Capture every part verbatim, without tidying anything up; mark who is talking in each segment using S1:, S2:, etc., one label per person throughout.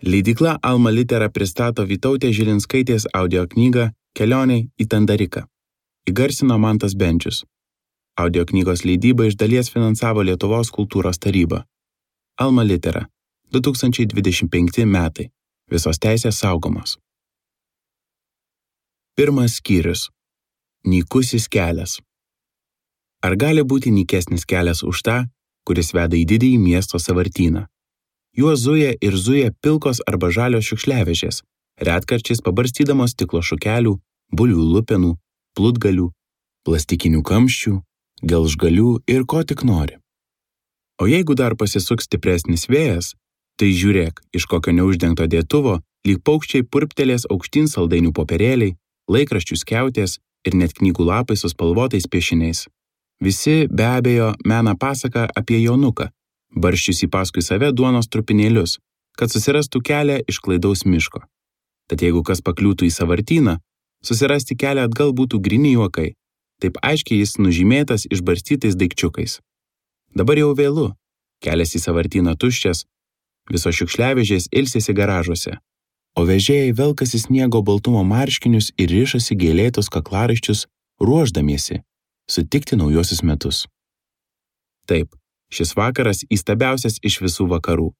S1: Leidykla Alma Litera pristato Vytautės Žilinskaitės audio knygą Kelionė į Tandariką. Įgarsino Mantas Bendžius. Audio knygos leidybą iš dalies finansavo Lietuvos kultūros taryba. Alma Litera, du tūkstančiai dvidešimt penkti metai. Visos teisės saugomos. Pirmas skyrius. Nykusis kelias. Ar gali būti nykesnis kelias už tą, kuris veda į didįjį miesto sąvartyną? Juo zuja ir zuja pilkos arba žalios šiukšliavežės, retkarčiais pabarstydamos stiklo šukelių, bulvių lupenų, plutgalių, plastikinių kamščių, gelžgalių ir ko tik nori. O jeigu dar pasisuks stipresnis vėjas, tai žiūrėk, iš kokio neuždengto dėtuvo lyg paukščiai purptelės aukštyn saldainių popierėliai, laikraščių skiautės ir net knygų lapai su spalvotais piešiniais. Visi be abejo mena pasaką apie Jonuką, barščiusį paskui save duonos trupinėlius, kad susirastų kelią iš klaidaus miško. Tad jeigu kas pakliūtų į sąvartyną, susirasti kelią atgal būtų gryni juokai, taip aiškiai jis nužymėtas išbarstytais daikčiukais. Dabar jau vėlu, kelias į sąvartyną tuščias, visos šiukšliavežės ilsisi garažuose, o vežėjai velkasi sniego baltumo marškinius ir rišasi gėlėtus kaklaraiščius, ruošdamiesi sutikti naujosius metus. Taip, šis vakaras įstabiausias iš visų vakarų.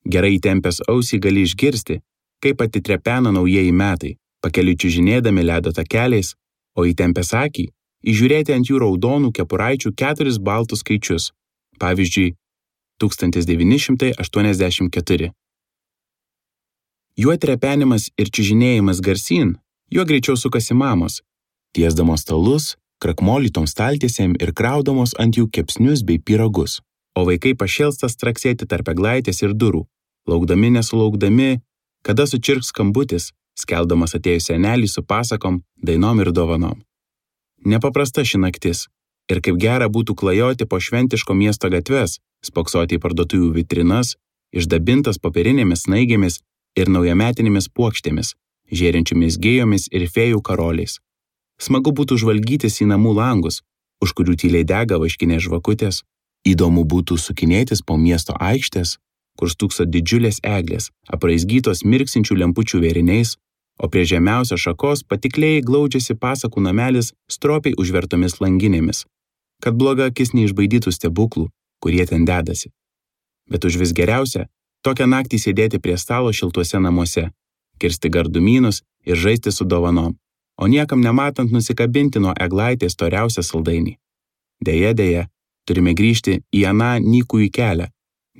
S1: Gerai įtempęs ausį gali išgirsti, kaip atitrepena naujieji metai, pakeliui čiužinėdami ledo takeliais, o įtempęs akį įžiūrėti ant jų raudonų kepuraičių keturis baltus skaičius, pavyzdžiui, tūkstantis devyni šimtai aštuoniasdešimt keturi. Juo trepenimas ir čiužinėjimas garsyn, juo greičiau sukasi mamos, tiesdamos stalus, krakmolytom staltiesėm ir kraudamos ant jų kepsnius bei pyragus. O vaikai pašėlsta straksėti tarp eglaitės ir durų, laukdami nesulaukdami, kada sučirks skambutis, skeldamas atėjus senelį su pasakom, dainom ir dovanom. Nepaprasta ši naktis, ir kaip gera būtų klajoti po šventiško miesto gatves, spoksoti į parduotuvių vitrinas, išdabintas popierinėmis snaigėmis ir naujametinėmis puokštėmis, žėrinčiomis gėjomis ir fėjų karoliais. Smagu būtų žvalgytis į namų langus, už kurių tyliai dega vaškinės žvakutės. Įdomu būtų sukinėtis po miesto aikštės, kur stūkso didžiulės eglės, apraizgytos mirksinčių lempučių vėriniais, o prie žemiausios šakos patikliai glaudžiasi pasakų namelis stropiai užvertomis langinėmis, kad bloga akis neišbaidytų stebuklų, kurie ten dedasi. Bet už vis geriausia, tokią naktį sėdėti prie stalo šiltuose namuose, kirsti gardumynus ir žaisti su dovanom, o niekam nematant nusikabinti nuo eglaitės storiausią saldainį. Deja, deja, turime grįžti į aną nykųjį kelią.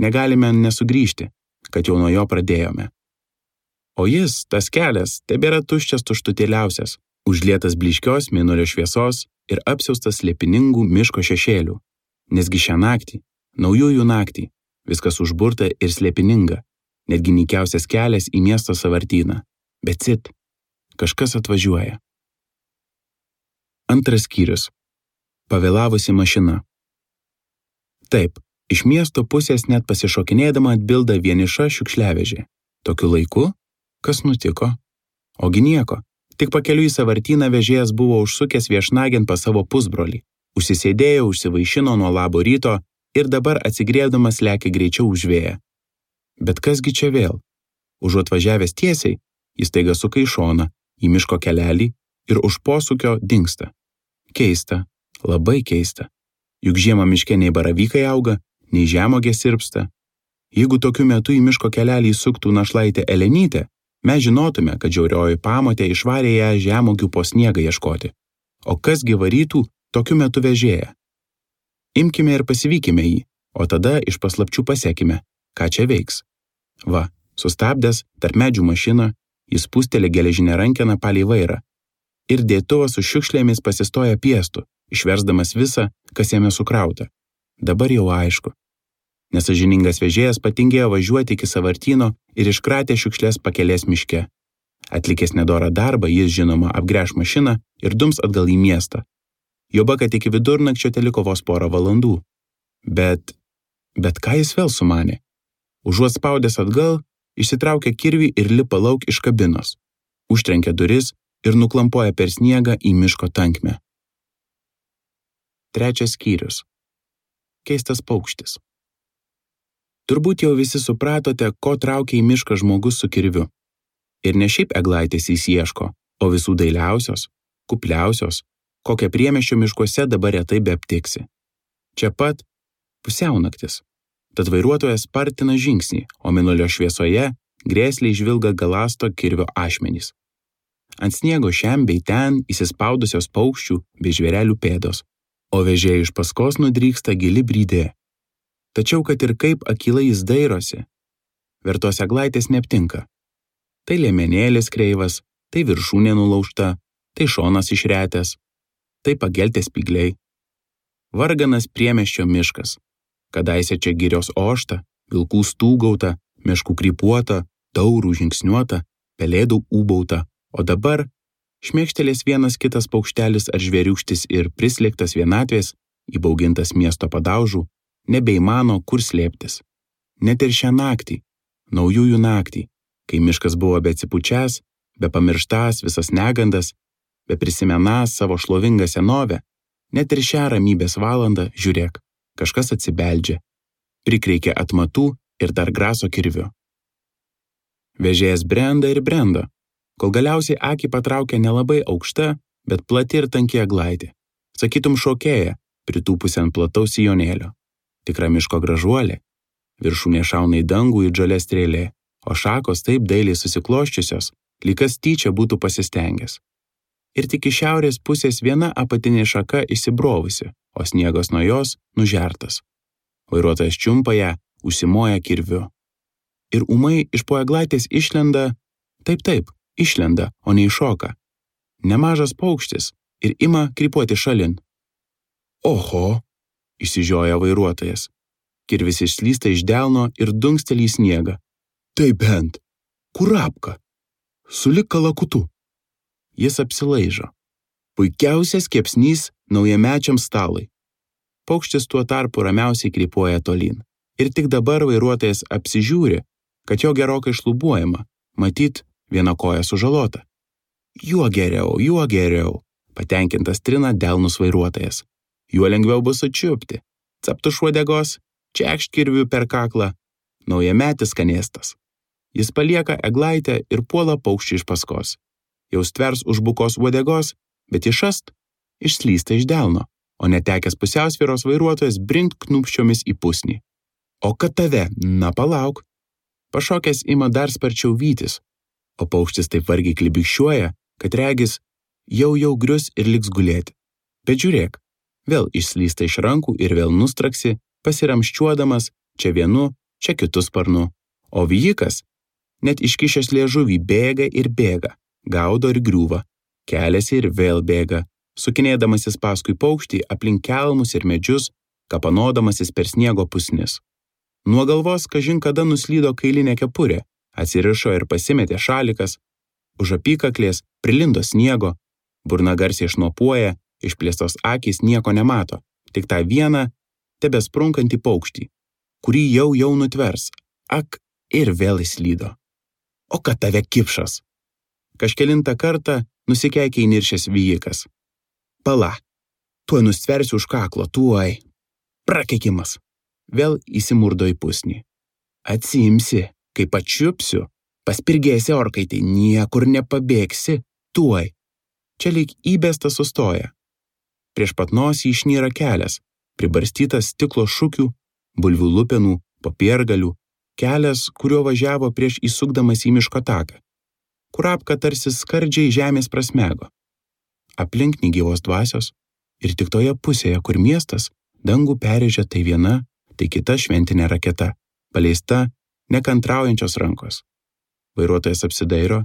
S1: Negalime nesugrįžti, kad jau nuo jo pradėjome. O jis, tas kelias, tebėra tuščias tuštutėliausias, užlietas blyškios mėnulio šviesos ir apsiaustas slėpiningų miško šešėlių. Nesgi šią naktį, naujųjų naktį, viskas užburta ir slėpininga, netgi nykiausias kelias į miesto sąvartyną. Bet cit, kažkas atvažiuoja. Antras skyrius. Pavėlavusi mašina. Taip, iš miesto pusės net pasišokinėdama atbilda vieniša šiukšliavežė. Tokiu laiku? Kas nutiko? Ogi nieko, tik pakeliui į sąvartyną vežėjas buvo užsukęs viešnagėn pas savo pusbrolį, užsisėdėjo, užsivaišino nuo labo ryto ir dabar atsigriebdamas lekia greičiau už vėją. Bet kasgi čia vėl? Užuot važiavęs tiesiai, jis taiga suka į šoną, į miško kelelį ir už posūkio dingsta. Keista, labai keista. Juk žiemą miške nei baravykai auga, nei žemuogė sirpsta. Jeigu tokiu metu į miško kelelį įsuktų našlaitė Elenytė, mes žinotume, kad žiaurioji pamotė išvarė ją žemuogių po sniegą ieškoti. O kasgi varytų tokiu metu vežėją? Imkime ir pasivykime jį, o tada iš paslapčių pasekime, ką čia veiks. Va, sustabdęs tarp medžių mašiną, jis pūstelė geležinę rankeną palei vairą. Ir dėtuvas su šiukšlėmis pasistoja piestu, išversdamas visą, kas jame sukrauta. Dabar jau aišku. Nesažiningas vežėjas patingėjo važiuoti iki sąvartyno ir iškratė šiukšlės pakelės miške. Atlikęs nedorą darbą, jis žinoma apgręš mašiną ir dums atgal į miestą. Joba, kad iki vidurnakčio teliko vos porą valandų. Bet, bet ką jis vėl sumanė? Užuot spaudęs atgal, išsitraukia kirvį ir lipa lauk iš kabinos. Užtrenkia duris ir nuklampoja per sniegą į miško tankmę. Trečias skyrius. Keistas paukštis. Turbūt jau visi supratote, ko traukia į mišką žmogus su kirviu. Ir ne šiaip eglaitės jis ieško, o visų dailiausios, kupliausios, kokią priemiesčio miškuose dabar retai beaptiksi. Čia pat pusiaunaktis. Tad vairuotojas spartina žingsnį, o mėnulio šviesoje grėsliai žvilga galasto kirvio ašmenys. Ant sniego šiam bei ten įsispaudusios paukščių bei žvėrelių pėdos, o vežėjai iš paskos nudryksta gili brydė. Tačiau, kad ir kaip akylai jis dairosi, vertos eglaitės neaptinka. Tai liemenėlis kreivas, tai viršūnė nulaužta, tai šonas išretęs, tai pageltės spygliai. Varganas priemiesčio miškas. Kadaise čia girios ošta, vilkų stūgauta, meškų krypuota, taurų žingsniuota, pelėdų ūbauta, o dabar šmėkštelės vienas kitas paukštelis ar žvėriūkštis ir prislėgtas vienatvės, įbaugintas miesto padaužų, nebeįmano kur slėptis. Net ir šią naktį, naujųjų naktį, kai miškas buvo beatsipučias, be pamirštas visas negandas, be prisimenas savo šlovingą senovę, net ir šią ramybės valandą, žiūrėk, kažkas atsibeldžia, prikreikė atmatų ir dar graso kirviu. Vežėjas brenda ir brenda, kol galiausiai akį patraukia nelabai aukšta, bet plati ir tanki eglaitė. Sakytum šokėja, pritūpusi ant plataus sijonėlio. Tikra miško gražuolė. Viršūnė šauna į dangų į žalia strėlė, o šakos taip dailiai susikloščiusios, lyg kas tyčia būtų pasistengęs. Ir tik iš šiaurės pusės viena apatinė šaka įsibrovusi, o sniegas nuo jos nužertas. Vairuotojas čiumpa ją, užsimoja kirviu. Ir ūmai iš po eglaitės išlenda, taip taip, išlenda, o ne iššoka. Nemažas paukštis ir ima krypuoti šalin. Oho, išsižioja vairuotojas. Kirvis išslysta iš delno ir dunkstelį į sniegą. Tai bent, kurapka, sulig kalakutu. Jis apsilaižo. Puikiausias kepsnys naujamečiam stalai. Paukštis tuo tarpu ramiausiai krypuoja tolyn. Ir tik dabar vairuotojas apsižiūri, kad jo gerokai šlubuojama, matyt, viena koja sužalota. Juo geriau, juo geriau, patenkintas trina delnus vairuotojas. Juo lengviau bus sučiupti. Captu šuodegos, čekšt kirviu per kaklą. Naujametis skanėstas. Jis palieka eglaitę ir puola paukščių iš paskos. Jau stvers už bukos uodegos, bet išast išslysta iš delno, o netekęs pusiausvyros vairuotojas brinkt knupščiomis į pusnį. O kad tave, na palauk. Pašokęs ima dar sparčiau vytis, o paukštis taip vargiai klibikščiuoja, kad regis jau jau grius ir liks gulėti. Bet žiūrėk, vėl išslysta iš rankų ir vėl nustraksi, pasiramščiuodamas čia vienu, čia kitu sparnu. O vijikas, net iškišęs liežuvį, bėga ir bėga, gaudo ir griūva, keliasi ir vėl bėga, sukinėdamasis paskui paukštį aplink kelmus ir medžius, kapanodamasis per sniego pusnis. Nuo galvos kažin kada nuslydo kailinė kepurė, atsirišo ir pasimetė šalikas, už apykaklės prilindo sniego, burna garsiai šnopuoja, išplėstos akys nieko nemato, tik tą vieną tebesprunkantį paukštį, kurį jau jau nutvers, ak, ir vėl įslydo. O kad tave kipšas! Kažkelintą kartą nusikeikia įniršęs vijikas. Pala, tuoj nustversiu už kaklo, tuoj. Prakeikimas. Vėl įsimurdo į pusnį. Atsiimsi, kai pačiupsiu, paspirgėsi orkaitį, niekur nepabėgsi, tuoj. Čia lyg įbestas sustoja. Prieš pat nosį išnyra kelias, pribarstytas stiklo šukių, bulvių lupenų, popiergalių, kelias, kuriuo važiavo prieš įsukdamas į miško taką. Kurapka tarsi skardžiai žemės prasmego. Aplink negyvos dvasios ir tik toje pusėje, kur miestas, dangų perėžė tai viena, tai kita šventinė raketa, paleista nekantraujančios rankos. Vairuotojas apsidairo,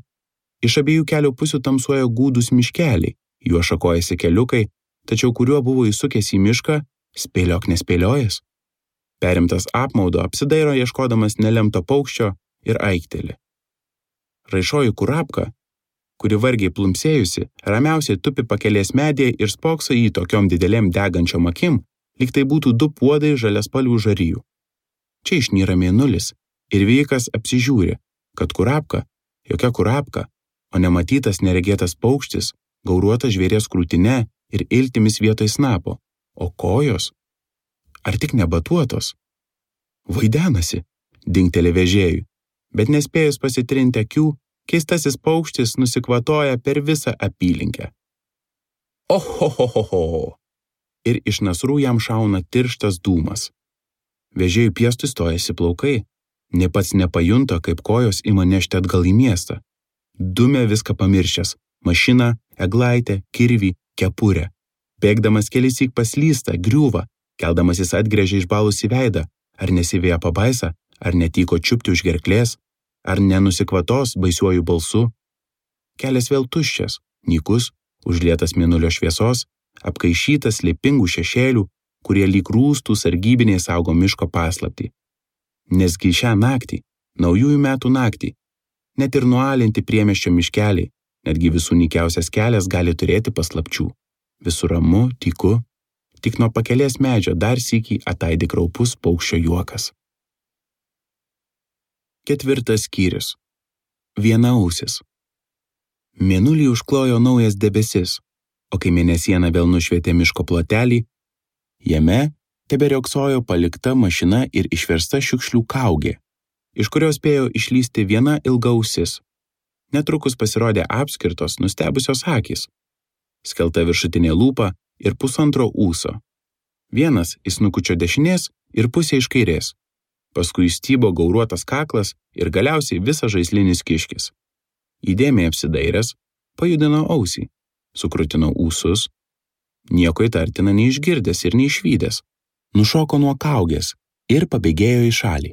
S1: iš abiejų kelio pusių tamsuoja gūdūs miškeliai, juo šakojasi keliukai, tačiau kuriuo buvo įsukęs į mišką, spėliok nespėliojęs. Perimtas apmaudo apsidairo ieškodamas nelemto paukščio ir aikteli. Raišoji kurapka, kuri vargiai plumsėjusi, ramiausiai tupi pakelės medyje ir spokso į tokiom didelėm degančiom akim, lyg tai būtų du puodai žaliaspalvių žarijų. Čia išnyra mėnulis ir vijikas apsižiūri, kad kurapka, jokia kurapka, o nematytas neregėtas paukštis, gauruotas žvėries krūtine ir iltimis vietoj snapo, o kojos, ar tik nebatuotos, vaidenasi, dingteli vežėjui, bet nespėjus pasitrinti akių, keistasis paukštis nusikvatoja per visą apylinkę. Ohohohoho! Ir iš nasrų jam šauna tirštas dūmas. Vežėjų piestui stojasi plaukai, ne pats nepajunta, kaip kojos ima nešti atgal į miestą. Dumė viską pamiršęs – mašiną, eglaitę, kirvį, kepurę. Bėgdamas kelissyk paslysta, griūva, keldamas jis atgręžia išbalusį veidą, ar nesivėja pabaisa, ar netyko čiupti už gerklės, ar nenusikvatos baisiuoju balsu. Kelias vėl tuščias, nykus, užlietas mėnulio šviesos, apkaišytas slėpingų šešėlių, kurie lyg rūstų sargybiniai saugo miško paslaptį. Nesgi šią naktį, naujųjų metų naktį, net ir nualinti priemiesčio miškeliai, netgi visų nykiausias kelias gali turėti paslapčių. Visur ramu, tyku, tik nuo pakelės medžio dar sykį ataidi kraupus paukščio juokas. Ketvirtas skyrius. Vienaausis. Mėnulį užklojo naujas debesis, o kai mėnesiena vėl nušvietė miško plotelį, jame teberioksojo palikta mašina ir išversta šiukšlių kaugė, iš kurios spėjo išlysti viena ilga ausis. Netrukus pasirodė apskirtos, nustebusios akys, skelta viršutinė lūpa ir pusantro ūso. Vienas iš snukučio dešinės ir pusė iš kairės. Paskui stybo gauruotas kaklas ir galiausiai visas žaislinis kiškis. Įdėmiai apsidairęs, pajudino ausį, sukrutino ūsus, nieko įtartina neišgirdęs ir neišvydęs, nušoko nuo kaugės ir pabėgėjo į šalį.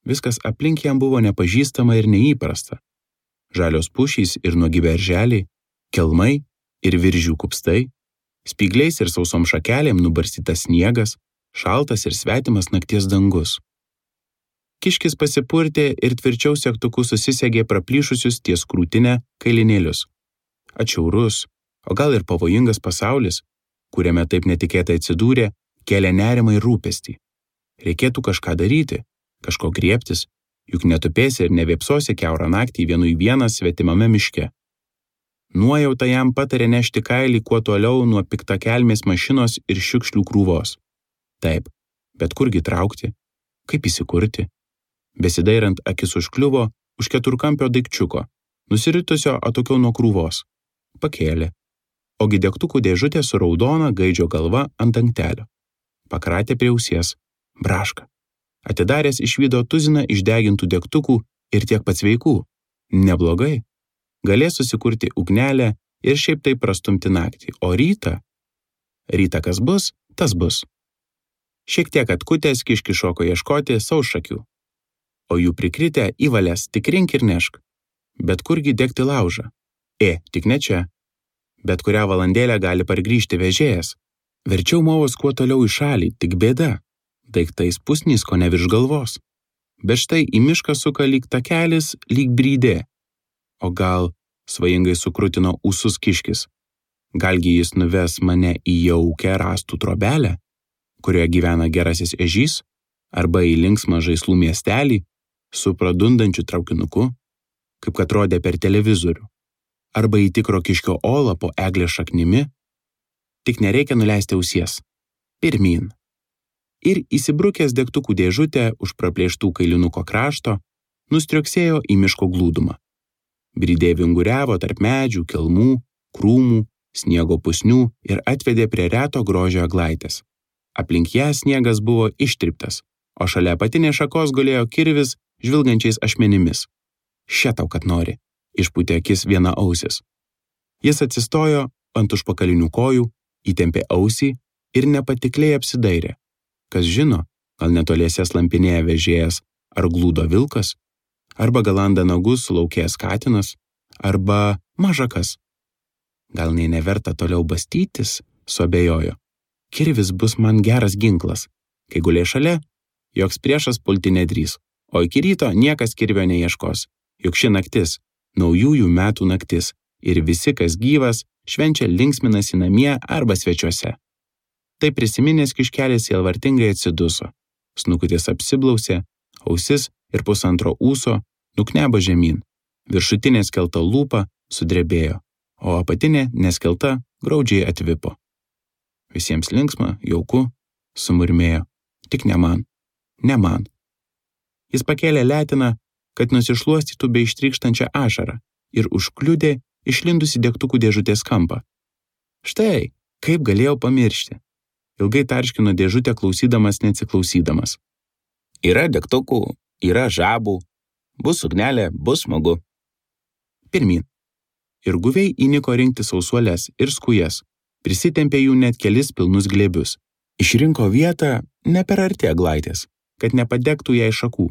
S1: Viskas aplink jam buvo nepažįstama ir neįprasta. Žalios pušys ir nuogi berželiai, kelmai ir viržių kupstai, spygliais ir sausom šakelėm nubarstytas sniegas, šaltas ir svetimas nakties dangus. Kiškis pasipurtė ir tvirčiau segtuku susisegė praplyšusius ties krūtinę kailinėlius. Atšiaurus, o gal ir pavojingas pasaulis, kuriame taip netikėtai atsidūrė, kėlė nerimą ir rūpestį. Reikėtų kažką daryti, kažko griebtis, juk netupėsi ir nevėpsosi kiaurą naktį vienu į vieną svetimame miške. Nuojauta jam patarė nešti kailį kuo toliau nuo piktakelmės mašinos ir šiukšlių krūvos. Taip, bet kurgi traukti, kaip įsikurti? Besidairant akis užkliuvo už keturkampio daikčiuko, nusiritusio atokiau nuo krūvos. Pakėlė, ogi degtukų dėžutė su raudona gaidžio galva ant dangtelio. Pakratė prie ausies, braška. Atidaręs išvydo tuziną išdegintų degtukų ir tiek pats veikų. Neblogai. Galės susikurti ugnelę ir šiaip taip prastumti naktį, o rytą? Rytą kas bus, tas bus. Šiek tiek atkutęs kiški šoko ieškoti saušakių, o jų prikritę į valias tik rink ir nešk. Bet kurgi degti laužą? E, tik ne čia. Bet kurią valandėlę gali pargrįžti vežėjas. Verčiau movos kuo toliau į šalį, tik bėda. Daiktais pusnys ko ne virš galvos. Bet štai į mišką suka lyg takelis, lyg brydė. O gal svajingai sukrutino ūsus kiškis. Galgi jis nuves mane į jaukę rąstų trobelę, kurioje gyvena gerasis ežys, arba į linksmą žaislų miestelį su pradundančiu traukinuku, kaip kad rodė per televizorių, arba į tikro kiškio olą po eglės šaknimi. Tik nereikia nuleisti ausies. Pirmyn. Ir įsibrukęs degtukų dėžutę už praplėštų kailinuko krašto, nustriuksėjo į miško glūdumą. Brydė vinguriavo tarp medžių, kelmų, krūmų, sniego pusnių ir atvedė prie reto grožio eglaitės. Aplink ją sniegas buvo ištryptas, o šalia apatinės šakos gulėjo kirvis žvilgančiais ašmenimis. Še tau, kad nori, išpūtė akis viena ausis. Jis atsistojo ant užpakalinių kojų, įtempė ausį ir nepatikliai apsidairė. Kas žino, gal netoliese slampinėja vežėjas ar glūdo vilkas, arba galanda nagus sulaukėjęs katinas, arba mažakas. Gal nei neverta toliau bastytis, suabejojo. Kirvis bus man geras ginklas. Kai gulė šalia, joks priešas pulti nedrįs, o iki ryto niekas kirvio neieškos, juk ši naktis, naujųjų metų naktis, ir visi, kas gyvas, švenčia linksminasi namie arba svečiuose. Tai prisiminęs kiškelis sielvartingai atsiduso. Snukutis apsiblausė, ausis ir pusantro ūso nuknebo žemyn. Viršutinė skelta lūpa sudrebėjo, o apatinė neskelta graudžiai atvipo. Visiems linksma, jauku, sumurmėjo. Tik ne man, ne man. Jis pakėlė letiną, kad nusišluostytų bei ištrykštančią ašarą ir užkliudė išlindusi degtukų dėžutės kampą. Štai, kaip galėjau pamiršti. Ilgai tarškino dėžutę klausydamas neatsiklausydamas. Yra degtukų, yra žabų, bus ugnelė, bus smagu. Pirmyn. Ir guviai įniko rinkti sausuolės ir skujas, prisitempė jų net kelis pilnus glėbius. Išrinko vietą ne per arti eglaitės, kad nepadegtų jai šakų.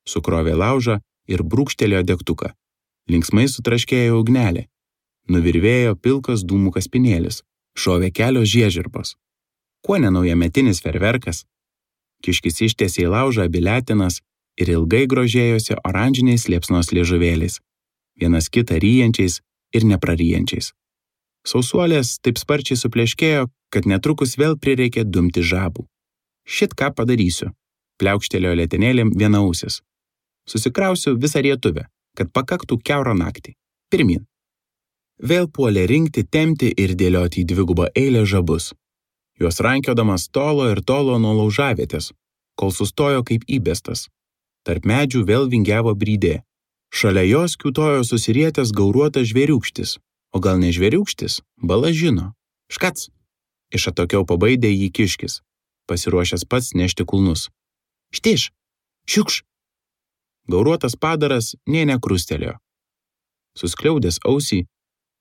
S1: Sukrovė laužą ir brūkštelėjo degtuką. Linksmai sutraškėjo ugnelė. Nuvirvėjo pilkas dūmų kaspinėlis. Šovė kelios žiežirbos. Kuo nenaujametinis ferverkas? Kiškis ištiesė į laužą abi letinas ir ilgai grožėjosi oranžiniais liepsnos liežuvėliais, vienas kitą ryjančiais ir nepraryjančiais. Sausuolės taip sparčiai supleškėjo, kad netrukus vėl prireikė dumti žabų. Šit ką padarysiu, pliaukštelėjo letenėlėm vienausis. Susikrausiu visą rietuvę, kad pakaktų kiaurą naktį. Pirmyn. Vėl puolė rinkti, tempti ir dėlioti į dvigubą eilę žabus. Juos rankiodamas tolo ir tolo nuo laužavietės, kol sustojo kaip įbestas. Tarp medžių vėl vingiavo brydė. Šalia jos kiūtojo susirietęs gauruotas žvėriūkštis, o gal ne žvėriūkštis, bala žino. Škac! Iš atokiau pabaidė jį kiškis, pasiruošęs pats nešti kulnus. Štiš! Šiukš! Gauruotas padaras nė nekrustelėjo. Suskliaudęs ausį,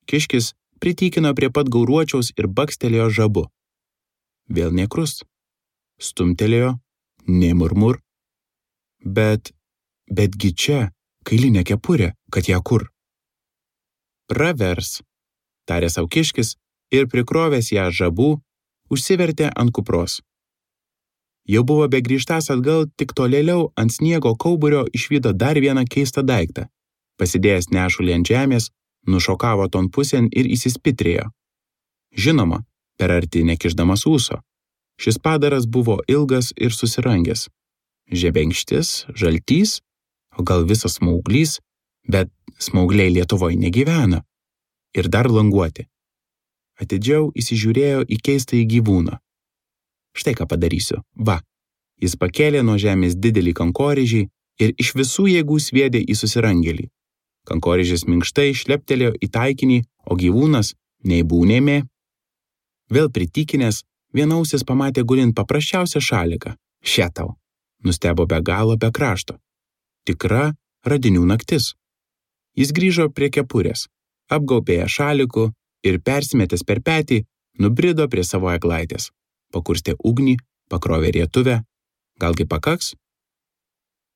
S1: kiškis pritykino prie pat gauruočiaus ir bakstelėjo žabu. Vėl nekrust. Stumtelėjo, nemurmur. Bet, betgi čia, kailinė kepurė, kad ją kur. Pravers, tarė sau kiškis ir prikrovęs ją žabų, užsivertė ant kupros. Jau buvo begrįžtas atgal, tik tolėliau ant sniego kauburio išvydo dar vieną keistą daiktą. Pasidėjęs nešulį ant žemės, nušokavo ton pusėn ir įsispitrėjo. Žinoma, per arti nekišdamas ūso. Šis padaras buvo ilgas ir susirangęs. Žebenkštis, žaltys, o gal visas smauglys, bet smaugliai Lietuvoje negyvena. Ir dar languoti. Atidžiau įsižiūrėjo į keistąjį gyvūną. Štai ką padarysiu. Va. Jis pakėlė nuo žemės didelį kankorėžį ir iš visų jėgų sviedė į susirangėlį. Kankorėžis minkštai šleptelėjo į taikinį, o gyvūnas nei būnėmė. Vėl pritikinęs, vienausis pamatė gulint paprasčiausią šaliką. Še tau. Nustebo be galo be krašto. Tikra radinių naktis. Jis grįžo prie kepurės, apgaubė ją šaliku ir persimetęs per petį, nubrido prie savo eglaitės. Pakurstė ugnį, pakrovė rietuvę. Galgi pakaks?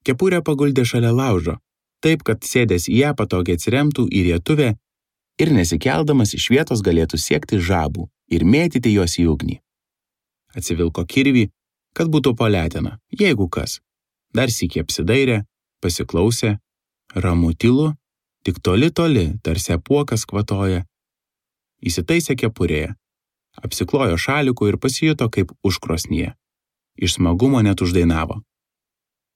S1: Kepurę paguldė šalia laužo, taip, kad sėdęs į ją patogiai atsiremtų į rietuvę ir nesikeldamas iš vietos galėtų siekti žabų ir mėtyti juos į ugnį. Atsivilko kirvį, kad būtų po leteną, jeigu kas. Dar sykį apsidairė, pasiklausė, ramu tylu, tik toli toli, tarsi apuokas kvatoja. Įsitaisė kepurėje, apsiklojo šaliku ir pasijuto kaip užkrosnyje. Iš smagumo net uždainavo.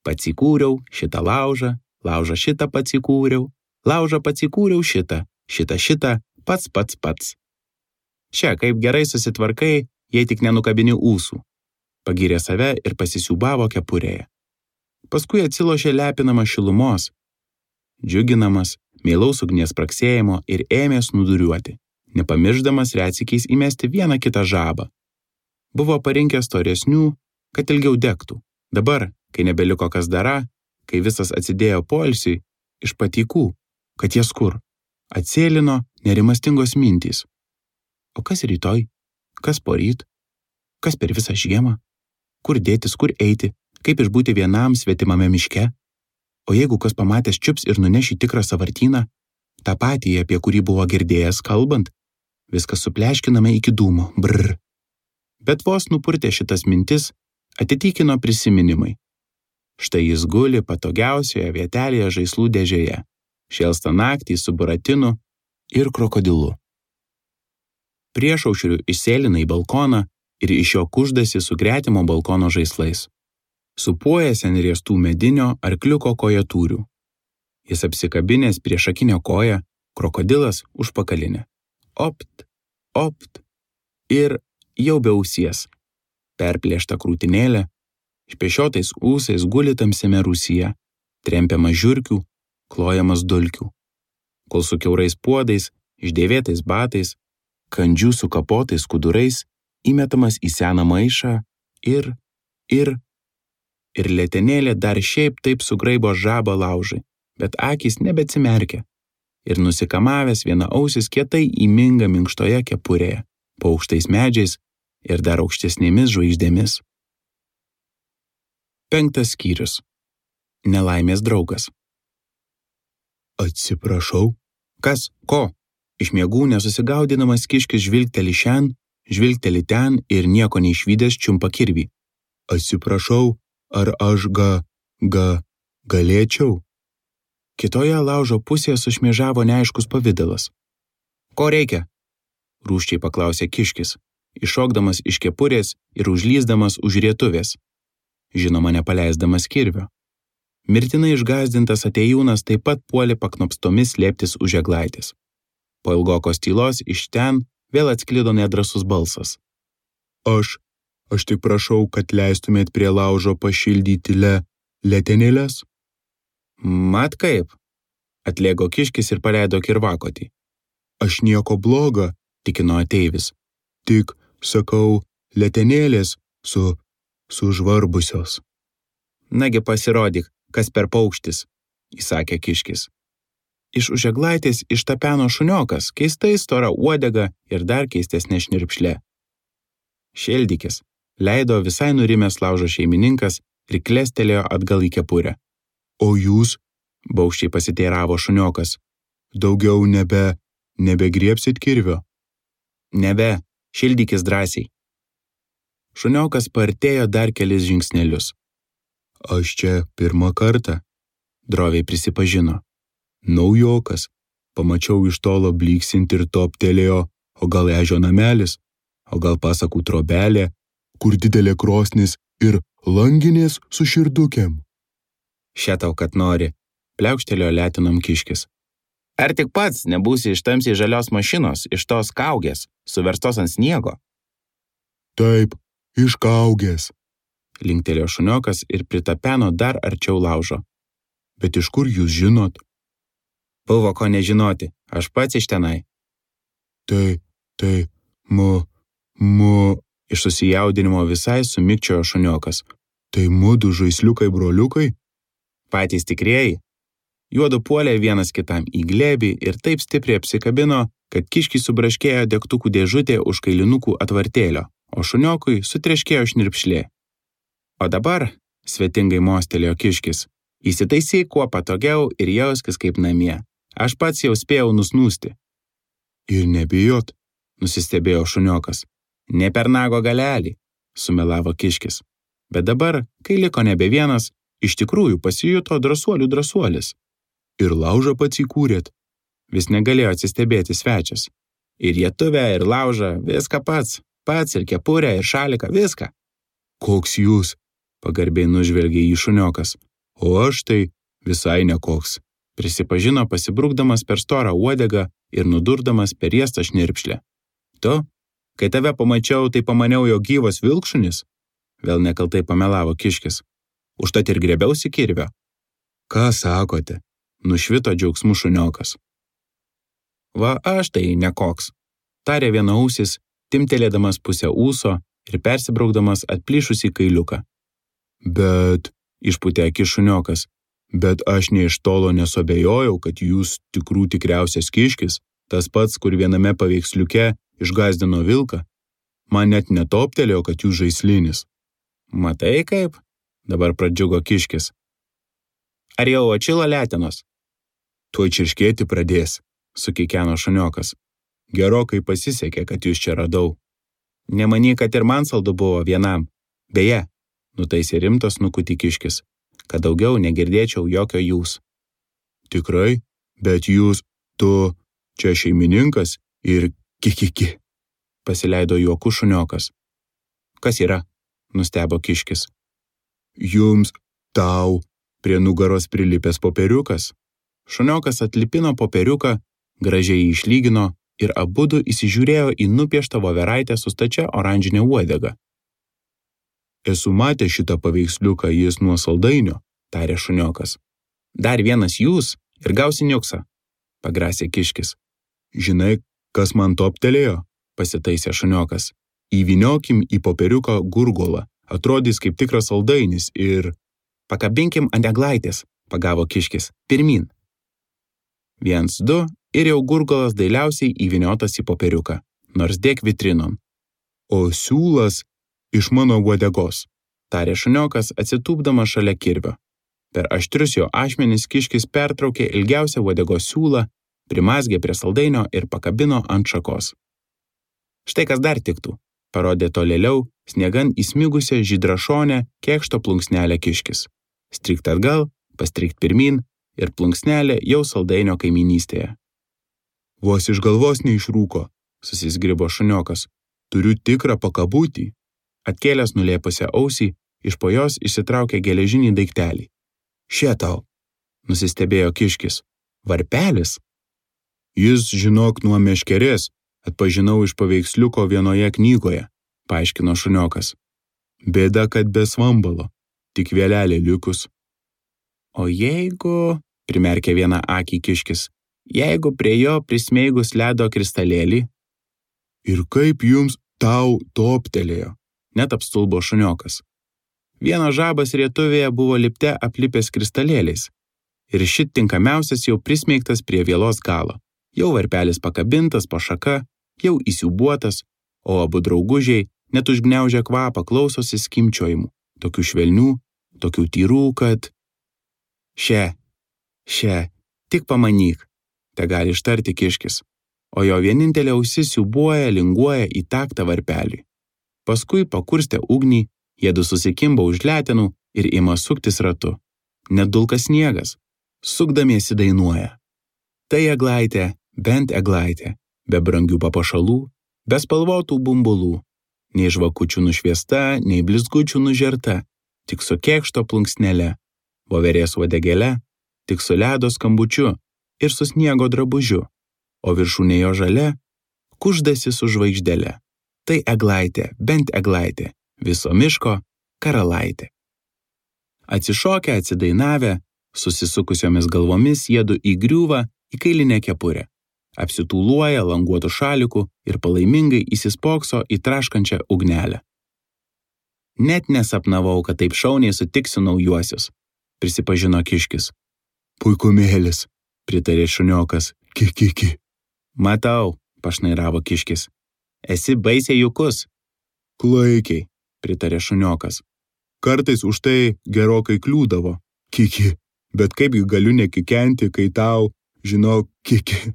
S1: Pats įkūriau šitą laužą, laužą šitą pats įkūriau, laužą pats įkūriau šitą, šitą šitą, pats pats pats. Čia, kaip gerai susitvarkai, jei tik nenukabini ūsų. Pagyrė save ir pasisiūbavo kepurėje. Paskui atsilošė lepinamas šilumos, džiuginamas, meilaus ugnies praksėjimo ir ėmės nuduriuoti, nepamirždamas retsykiais įmesti vieną kitą žabą. Buvo parinkęs storesnių, kad ilgiau degtų. Dabar, kai nebeliko kas dara, kai visas atsidėjo poilsiui, iš patykų, kad jas kur, atsėlino nerimastingos mintys. O kas rytoj? Kas poryt? Kas per visą žiemą? Kur dėtis, kur eiti? Kaip išbūti vienam svetimame miške? O jeigu kas pamatęs čiups ir nuneš į tikrą sąvartyną, tą patį, apie kurį buvo girdėjęs kalbant, viskas supleškiname iki dūmo, brr. Bet vos nupurtė šitas mintis, atitykino prisiminimai. Štai jis guli patogiausioje vietelėje žaislų dėžėje, šėlsta naktį su buratinu ir krokodilu. Priešaušriu išsėlina į balkoną ir iš jo kuždasi su gretimo balkono žaislais. Supuojęs ant riestų medinio arkliuko kojatūrių. Jis apsikabinęs prie šakinio koją, krokodilas užpakalinė. Opt, opt ir jau be ausies. Perplėšta krūtinėlė, špešiotais ūsais guli tamsiame rūsyje, trempiamas žiurkių, klojamas dulkių. Kol su kiaurais puodais, išdėvėtais batais, kandžių su kapotais skudurais, įmetamas į seną maišą ir, ir, ir letenėlė dar šiaip taip sugraibo žabą laužai, bet akys nebeatsimerkia. Ir nusikamavęs viena ausis kietai įminga minkštoje kepurėje, po aukštais medžiais ir dar aukštesnėmis žvaigždėmis. Penktas skyrius. Nelaimės draugas. Atsiprašau. Kas? Ko? Iš miegų nesusigaudinamas kiškis žvilgteli šen, žvilgteli ten ir nieko neišvydęs čiumpa kirvį. Atsiprašau, ar aš ga, ga, galėčiau? Kitoje laužo pusėje sušmėžavo neaiškus pavidalas. Ko reikia? Rūsčiai paklausė kiškis, iššokdamas iš kepurės ir užlysdamas už rietuvės. Žinoma, nepaleisdamas kirvio. Mirtinai išgąsdintas atėjūnas taip pat puolė paknopstomis slėptis už eglaitės. Po ilgokos tylos iš ten vėl atsklido nedrąsus balsas. Aš, aš tik prašau, kad leistumėt prie laužo pašildyti le, letenėlės? Mat kaip? Atlėgo kiškis ir paleido kirvakotį. Aš nieko bloga, tikino ateivis. Tik, sakau, letenėlės su, sužvarbusios. Nagi pasirodyk, kas per paukštis, įsakė kiškis. Iš už eglaitės ištapeno šuniokas, keistai stora uodega ir dar keistesnė šnirpšlė. Šeldykis, leido visai nurimęs laužo šeimininkas ir klestelėjo atgal į kepurę. O jūs, baukščiai pasiteiravo šuniokas, daugiau nebe, nebegriebsit kirvio? Nebe, šildykis drąsiai. Šuniokas partėjo dar kelis žingsnelius. Aš čia pirmą kartą, droviai prisipažino. Naujokas, pamačiau iš tolo blyksint ir toptelėjo, o gal ežio namelis, o gal pasakų trobelė, kur didelė krosnis ir langinės su širdukėm. Šetau, kad nori, pliaukštelėjo letinom kiškis. Ar tik pats nebūsi iš tamsiai žalios mašinos, iš tos kaugės, suverstos ant sniego? Taip, iš kaugės, linktelėjo šuniokas ir pritapeno dar arčiau laužo. Bet iš kur jūs žinot? Buvo ko nežinoti, aš pats iš tenai. Tai, tai, mu, mu, iš susijaudinimo visai sumikčiojo šuniokas. Tai mudu žaisliukai broliukai? Patys tikrieji. Juodu puolė vienas kitam į glėbį ir taip stipriai apsikabino, kad kiškį subraškėjo degtukų dėžutė už kailinukų atvartėlio, o šuniokui sutreškėjo šnirpšlė. O dabar, svetingai mostelėjo kiškis, įsitaisyk kuo patogiau ir jauskis kaip namie. Aš pats jau spėjau nusnūsti. Ir nebijot, nusistebėjo šuniokas. Ne per nago galelį, sumelavo kiškis. Bet dabar, kai liko nebe vienas, iš tikrųjų pasijuto drąsuolių drąsuolis. Ir laužą pats įkūrėt. Vis negalėjo atsistebėti svečias. Ir rietuvę, ir laužą, viską pats. Pats ir kepurę, ir šaliką, viską. Koks jūs, pagarbiai nužvelgė jį šuniokas. O aš tai visai nekoks, prisipažino pasibrukdamas per storą uodegą ir nudurdamas per riestą šnirpšlę. Tu, kai tave pamačiau, tai pamaniau, jo gyvas vilkšunis. Vėl nekaltai pamelavo kiškis. Užtat ir griebiausi kirvio. Ką sakote? Nušvito džiaugsmų šuniokas. Va aš tai nekoks, tarė vienausis, timtelėdamas pusę ūso ir persibraukdamas atplyšusį kailiuką. Bet, išpūtė akis šuniokas, bet aš nė iš tolo nesuabejojau, kad jūs tikrų tikriausias kiškis, tas pats, kur viename paveiksliuke išgąsdino vilką. Man net netoptelėjo, kad jūs žaislinis. Matai kaip? Dabar pradžiugo kiškis. Ar jau atšilo letenos? Tuoj čirškėti pradės, sukikeno šuniokas. Gerokai pasisekė, kad jūs čia radau. Nemanyk, kad ir man saldu buvo vienam. Beje, nutaisė rimtas nukutį kiškis, kad daugiau negirdėčiau jokio jūs. Tikrai, bet jūs, tu, čia šeimininkas ir kikiki, pasileido juoku šuniokas. Kas yra? Nustebo kiškis. Jums, tau, prie nugaros prilipęs popieriukas. Šuniokas atlipino popieriuką, gražiai išlygino ir abudu įsižiūrėjo į nupieštą voveraitę su stačia oranžinė uodega. Esu matęs šitą paveiksliuką, jis nuo saldainio, tarė šuniokas. Dar vienas jūs ir gausi niuksą, pagrasė kiškis. Žinai, kas man toptelėjo, pasitaisė šuniokas. Įvyniokim į popieriuką gurgolą, atrodys kaip tikras saldainis ir... Pakabinkim ant eglaitės, pagavo kiškis, pirmin. Viens, du ir jau gurgolas dailiausiai įvyniotas į popieriuką, nors dėk vitrinon. O siūlas iš mano uodegos, tarė šuniokas atsitūpdamas šalia kirvio. Per aštrius jo ašmenis kiškis pertraukė ilgiausią uodegos siūlą, primazgė prie saldainio ir pakabino ant šakos. Štai kas dar tiktų, parodė tolėliau sniegan įsmigusią žydrašonę kėkšto plunksnelę kiškis. Strikt atgal, pastrikt pirmin ir plunksnelė jau saldainio kaiminystėje. Vos iš galvos neišrūko, susizgribo šuniokas. Turiu tikrą pakabutį. Atkėlęs nulėpusią ausį, iš po jos išsitraukė geležinį daiktelį. Šie tau, nusistebėjo kiškis. Varpelis? Jis, žinok, nuo meškerės, atpažinau iš paveiksliuko vienoje knygoje, paaiškino šuniokas. Bėda, kad be svambalo, tik vėlelė likus. O jeigu, primerkė vieną akį kiškis, jeigu prie jo prismeigus ledo kristalėlį? Ir kaip jums tau toptelėjo, net apstulbo šuniokas. Vienas žabas rietuvėje buvo lipte aplipęs kristalėliais. Ir šit tinkamiausias jau prismeigtas prie vielos galo. Jau varpelis pakabintas po šaka, jau įsiubuotas, o abu draugužiai net užgniaužę kvapą klausosi skimčiojimų, tokių švelnių, tokių tyrų, kad... Še, še, tik pamanyk, te gali ištarti kiškis, o jo vienintelė ausis siubuoja, linguoja į taktą varpelį. Paskui pakurstė ugnį, jiedu susikimba už letenų ir ima suktis ratu. Net dulkas sniegas, sukdamiesi dainuoja. Tai eglaitė, bent eglaitė, be brangių papuošalų, be spalvotų bumbulų, nei žvakučių nušviesta, nei blizgučių nužerta, tik su kėkšto plunksnele, voverės uodegėle, tik su ledo skambučiu ir su sniego drabužiu, o viršūnė jo žalia, kuždasi su žvaigždele. Tai eglaitė, bent eglaitė, viso miško karalaitė. Atsišokę, atsidainavę, susisukusiomis galvomis jiedu įgriūva į kailinę kepurę, apsitūluoja languotų šalikų ir palaimingai įsispokso į traškančią ugnelę. Net nesapnavau, kad taip šauniai sutiksiu naujuosius, prisipažino kiškis. Puikumėlis, pritarė šuniokas, ki-ki-ki. Matau, pašnairavo kiškis. Esi baisiai jukus. Klaikiai, pritarė šuniokas. Kartais už tai gerokai kliūdavo, kiki, bet kaipgi galiu nekikenti, kai tau, žinok, kiki,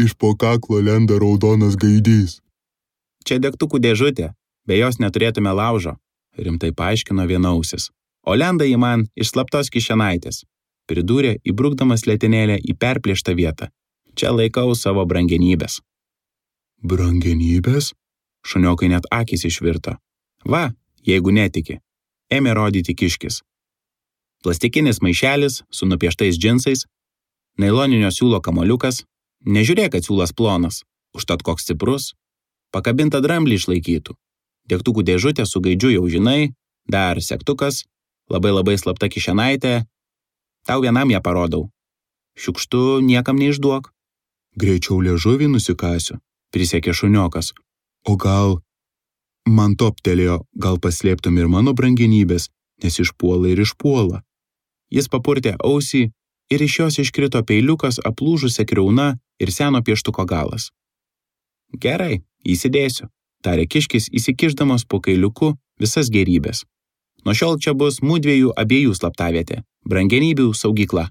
S1: iš po kaklo lenda raudonas gaidys. Čia degtukų dėžutė, be jos neturėtume laužo, rimtai paaiškino vienausis, o lenda į man iš slaptos kišenaitės, pridūrė įbrukdamas letenėlę į perplėštą vietą. Čia laikau savo brangenybės. Brangenybės? Šuniokai net akys išvirto. Va, jeigu netiki, ėmė rodyti kiškis. Plastikinis maišelis su nupieštais džinsais, nailoninio siūlo kamoliukas, nežiūrėk, kad siūlas plonas, užtat koks stiprus, pakabinta dramblį išlaikytų, degtukų dėžutė su gaidžiu jau žinai, dar segtukas, labai labai slapta kišenaitė, tau vienam ją parodau. Šiukštu niekam neišduok. Greičiau liežuvį nusikasiu, prisiekė šuniokas. O gal... Man toptelėjo, gal paslėptum ir mano brangenybės, nes išpuola ir išpuola. Jis papurtė ausį ir iš jos iškrito peiliukas aplūžusia kriauna ir seno pieštuko galas. Gerai, įsidėsiu, tarė kiškis įsikišdamas po kailiuku visas gerybės. Nuo šiol čia bus mudviejų abiejų slaptavietė, brangenybių saugykla.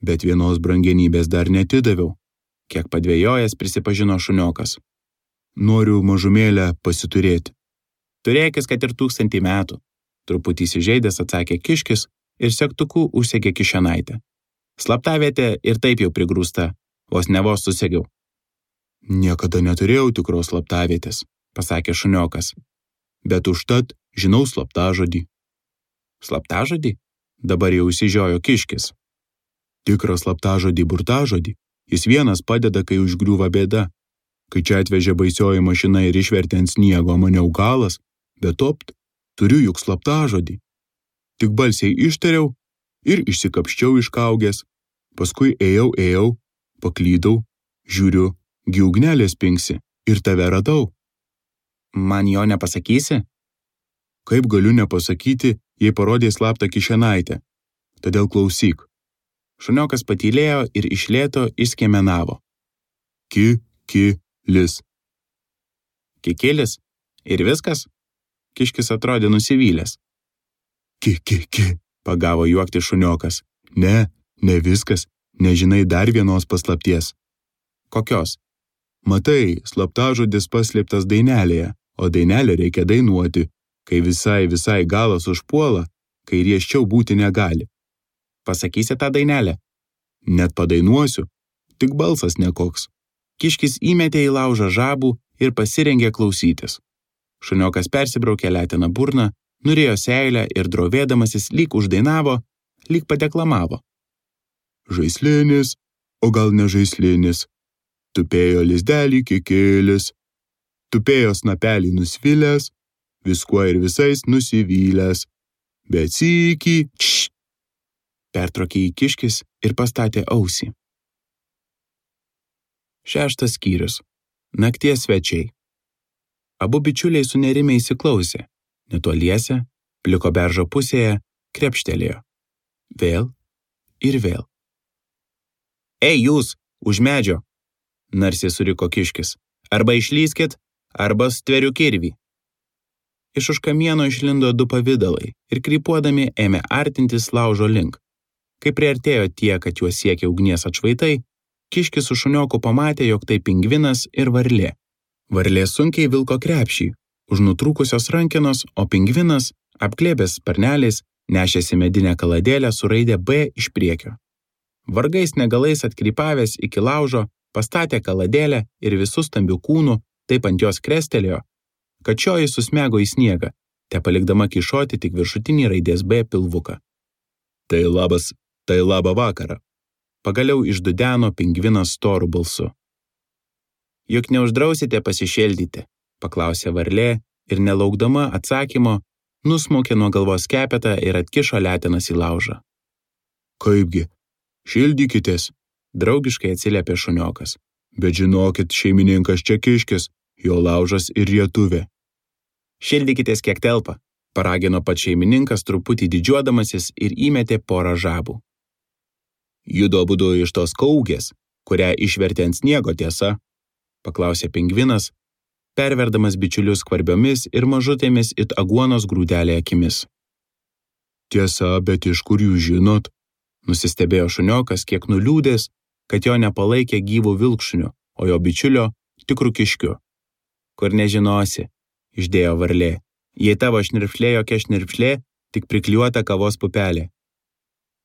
S1: Bet vienos brangenybės dar netidaviau, kiek padvėjojęs prisipažino šuniokas. Noriu mažumėlę pasiturėti. Turėkis, kad ir tūkstantį metų, truputį įsižeidęs atsakė kiškis ir segtuku užsegė kišenaitę. Slaptavietė ir taip jau prigrūsta, vos ne vos susegiau. Niekada neturėjau tikros slaptavietės, pasakė šuniokas, bet užtat žinau slaptažodį. Slaptažodį? Dabar jau įsižiojo kiškis. Tikrą slaptažodį burtažodį, jis vienas padeda, kai užgriūva bėda. Kai čia atvežė baisioji mašina ir išvertė ant sniego, maniau galas, bet opt, turiu juk slaptažodį. Tik balsiai ištariau ir išsikapščiau iš kaugės. Paskui ėjau, ėjau, paklydau, žiūriu, gi ugnelė spingsi ir tave radau. Man jo nepasakysi? Kaip galiu nepasakyti, jei parodė slaptą kišenaitę? Todėl klausyk. Šuniokas patylėjo ir iš lėto išskiemenavo. Ki, ki, lis. Kikilis? Ir viskas? Kiškis atrodė nusivylęs. Ki, ki, ki, pagavo juokti šuniokas. Ne, ne viskas, nežinai dar vienos paslapties. Kokios? Matai, slaptažodis paslėptas dainelėje, o dainelę reikia dainuoti, kai visai visai galas užpuola, kai rieščiau būti negali. Pasakysi tą dainelę? Net padainuosiu, tik balsas nekoks. Kiškis įmetė į laužą žabų ir pasirengė klausytis. Šuniokas persibraukė leteną burną, nurėjo seilę ir drovėdamasis lyg uždainavo, lyg padeklamavo. Žaislinis, o gal ne žaislinis, tupėjo lizdelį kikilis, tupėjo snapelį nusvilęs, viskuo ir visais nusivylęs, bet sykį, čš, pertraukė į Kiškis ir pastatė ausį. Šeštas skyrius. Nakties svečiai. Abu bičiuliai sunerimę įsiklausė, netoliese, pliko beržo pusėje, krepštelėjo. Vėl ir vėl. Ei jūs, už medžio, narsiai suriko Kiškis, arba išlyskit, arba stveriu kirvį. Iš už kamieno išlindo du pavidalai ir krypuodami ėmė artintis laužo link. Kai priartėjo tie, kad juos siekė ugnies atšvaitai, Kiškis su šunioku pamatė, jog tai pingvinas ir varlė. Varlė sunkiai vilko krepšį, už nutrūkusios rankenos, o pingvinas, apglėbęs sparneliais, nešėsi medinę kaladėlę su raide B iš priekio. Vargais negalais atkrypavęs iki laužo, pastatė kaladėlę ir visų stambių kūnų, taip ant jos krestelėjo, kad šioji susmego į sniegą, te palikdama kišoti tik viršutinį raidės B pilvuką. Tai labas, tai labą vakarą. Pagaliau išdudeno pingvinas storu balsu. Juk neuždrausite pasišėldyti, paklausė varlė ir nelaukdama atsakymo, nusmaukė nuo galvos kepetą ir atkišo letenas į laužą. Kaipgi, šildykitės, draugiškai atsiliepė šuniokas. Bet žinokit, šeimininkas čia Kiškis, jo laužas ir rietuvė. Šildykitės kiek telpa, paragino pats šeimininkas truputį didžiuodamasis ir įmetė porą žabų. Judo abudu iš tos kaugės, kurią išvertė ant sniego tiesa, paklausė pingvinas, perverdamas bičiulius skvarbiomis ir mažutėmis it aguonos grūdelė akimis. Tiesa, bet iš kur jūs žinot? Nusistebėjo šuniokas kiek nuliūdęs, kad jo nepalaikė gyvų vilkšunių, o jo bičiulio tikrų Kiškiu. Kur nežinosi, išdėjo varlė, jei tavo šnirpšlė jokia šnirpšlė, tik priklijuota kavos pupelė.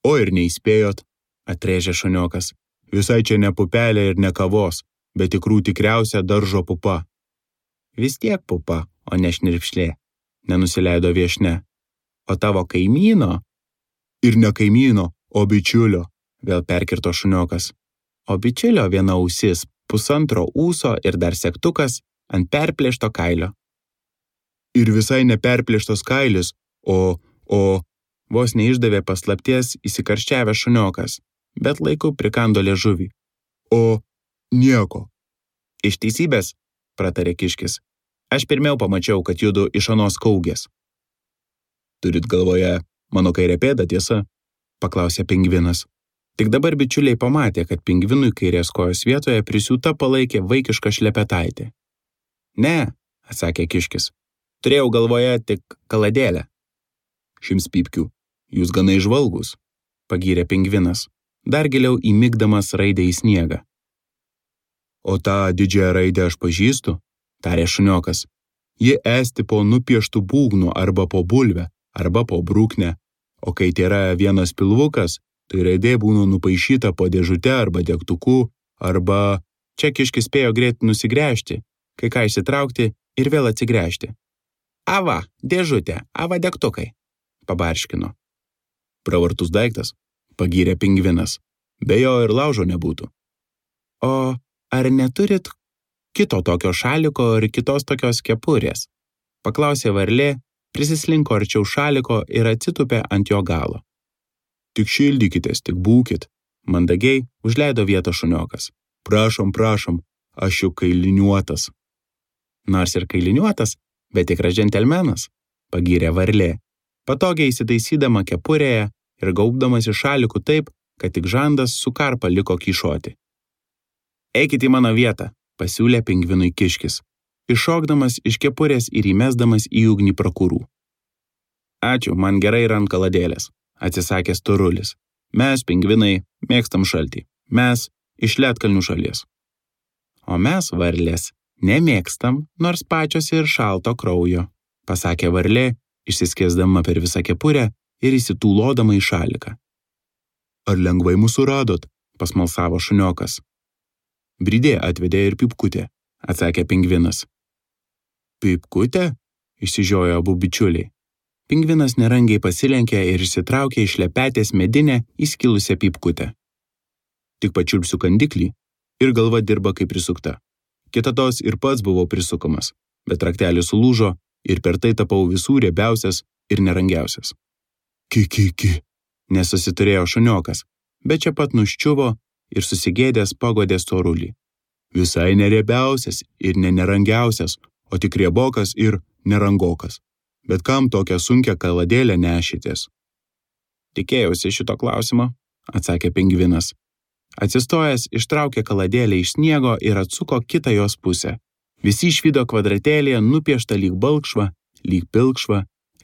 S1: O ir neįspėjot, atrėžė šuniokas, visai čia ne pupelė ir ne kavos, bet tikrų tikriausia daržo pupa. Vis tiek pupa, o ne šnirpšlė, nenusileido viešne. O tavo kaimyno? Ir ne kaimyno, o bičiulio, vėl perkirto šuniokas. O bičiulio viena ausis, pusantro ūso ir dar segtukas ant perplėšto kailio. Ir visai neperplėštos kailis, o, o, vos neišdavė paslapties įsikarščiavęs šuniokas, bet laiku prikando liežuvį. O, nieko. Iš teisybės, pratarė Kiškis, aš pirmiau pamačiau, kad judu iš anos kaugės. Turit galvoje mano kairę pėdą, tiesa? Paklausė pingvinas. Tik dabar bičiuliai pamatė, kad pingvinui kairės kojos vietoje prisiūta palaikė vaikišką šlepetaitę. Ne, atsakė Kiškis, turėjau galvoje tik kaladėlę. Šims pypkių, jūs gana įžvalgus, pagyrė pingvinas, dar giliau įmigdamas raidę į sniegą. O tą didžiąją raidę aš pažįstu, tarė šuniokas. Ji esti po nupieštų būgnų arba po bulvę, arba po brūknę, o kai tėra vienas pilvukas, tai raidė būna nupaišyta po dėžute arba degtuku, arba čia Kiškis spėjo greit nusigręžti, kai ką išsitraukti ir vėl atsigręžti. Ava, dėžutė, ava degtukai, pabarškino. Pravartus daiktas, pagyrė pingvinas, be jo ir laužo nebūtų. O ar neturit kito tokio šaliko ir kitos tokios kepurės? Paklausė varlė, prisislinko arčiau šaliko ir atsitupė ant jo galo. Tik šildykitės, tik būkit. Mandagiai užleido vietą šuniokas. Prašom, prašom, aš jau kailiniuotas. Nors ir kailiniuotas, bet tikras džentelmenas, pagyrė varlė, patogiai įsitaisydama kepurėje ir gaubdamas į šalikų taip, kad tik žandas su karpa liko kyšoti. Eikit į mano vietą, pasiūlė pingvinui kiškis, iššokdamas iš kepurės ir įmesdamas į ugnį prakurų. Ačiū, man gerai yra ant kaladėlės, atsisakė storulis. Mes, pingvinai, mėgstam šaltį. Mes iš ledkalnių šalies. O mes, varlės, nemėgstam, nors pačios ir šalto kraujo, pasakė varlė, išsiskėsdama per visą kepurę ir įsitūlodama į šaliką. Ar lengvai mūsų radot? Pasmalsavo šuniokas. Bridė atvedė ir Pipkutė, atsakė pingvinas. Pipkutė? Išsižiojo abu bičiuliai. Pingvinas nerangiai pasilenkė ir išsitraukė iš šlepetės medinę įskilusią Pipkutę. Tik pačiulpsiu kandiklį ir galva dirba kaip prisukta. Kitados ir pats buvau prisukamas, bet raktelis sulūžo ir per tai tapau visų riebiausias ir nerangiausias. Ki, ki, ki, nesusiturėjo šuniokas, bet čia pat nuščiuvo ir susigėdęs pagodė storulį. Visai neriebiausias ir ne nerangiausias, o tik riebokas ir nerangokas. Bet kam tokią sunkią kaladėlę nešitės? Tikėjausi šito klausimo, atsakė pingvinas. Atsistojęs ištraukė kaladėlę iš sniego ir atsuko kitą jos pusę. Visi išvydo kvadratėlėje nupieštą lyg balkšvą, lyg pilkšvą,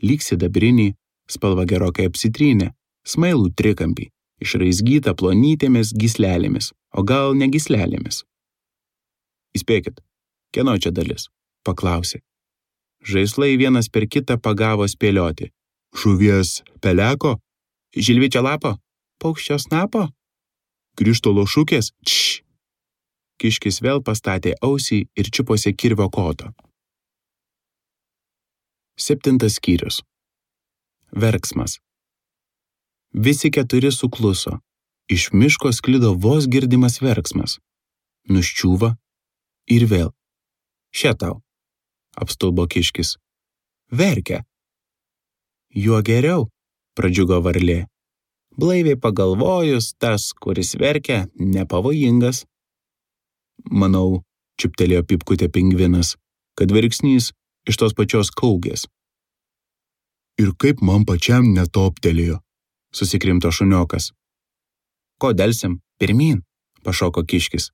S1: lyg sidabrinį, spalva gerokai apsitrynė, smailų trikampį, išraizgytą plonytėmis gyslelėmis, o gal ne gyslelėmis. Įspėkit, kieno čia dalis? Paklausė. Žaislai vienas per kitą pagavo spėlioti. Žuvies peleko? Žilvičio lapo? Paukščio snapo? Krištolo šukės? Čš! Kiškis vėl pastatė ausį ir čiuposi kirvio koto. Septintas skyrius. Verksmas. Visi keturi sukluso. Iš miško sklido vos girdimas verksmas. Nuščiūva ir vėl. Še tau, apstulbo kiškis. Verkia. Juo geriau, pradžiugo varlė. Blaiviai pagalvojus, tas, kuris verkia, nepavojingas. Manau, čiuptelėjo Pipkutė pingvinas, kad verksnys iš tos pačios kaugės. Ir kaip man pačiam netoptelėjo, susikrimto šuniokas. Ko delsim? Pirmyn, pašoko kiškis.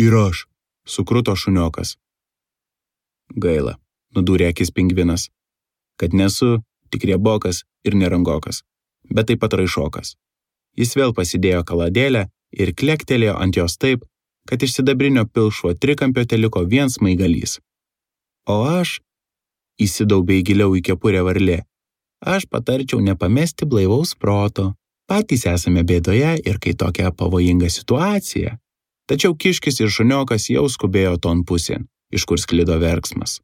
S1: Ir aš, sukruto šuniokas. Gaila, nudūrė akis pingvinas, kad nesu tik riebokas ir nerangokas, bet taip pat raišokas. Jis vėl pasidėjo kaladėlę ir klektelėjo ant jos taip, kad iš sidabrinio pilkšvo trikampio teliko vien smaigalys. O aš, įsidaubė giliau į kepurę varlė, aš patarčiau nepamesti blaivaus proto. Patys esame bėdoje ir kai tokia pavojinga situacija. Tačiau kiškis ir šuniokas jau skubėjo ton pusėn, iš kur sklido verksmas.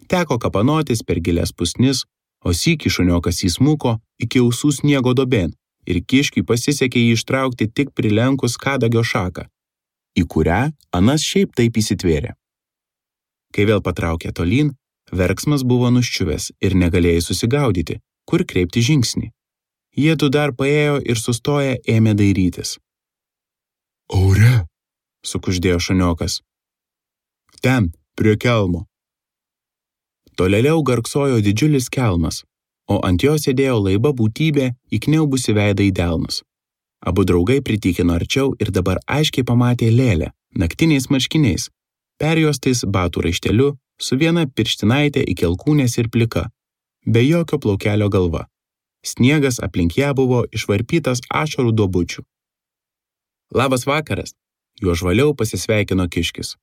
S1: Teko kapanotis per gilias pusnis, o sykį šuniokas įsmuko iki ausų sniego dobėn ir kiškiui pasisekė jį ištraukti tik prilenkus kadagio šaką, į kurią anas šiaip taip įsitvėrė. Kai vėl patraukė tolyn, verksmas buvo nuščiuvęs ir negalėjai susigaudyti, kur kreipti žingsnį. Jiedu dar paėjo ir sustoję ėmė dairytis. Aure, sukuždėjo šuniokas. Ten, prie kelmo. Tolėliau garksojo didžiulis kelmas, o ant jo sėdėjo laiba būtybė įkniaubusi veidą į delnus. Abu draugai pritikino arčiau ir dabar aiškiai pamatė lėlę, naktiniais marškiniais, perjuostais batų raišteliu, su viena pirštinaitė iki alkūnės ir plika, be jokio plaukelio galva. Sniegas aplink ją buvo išvarpytas ašarų duobučių. Labas vakaras, juo žvaliau pasisveikino kiškis.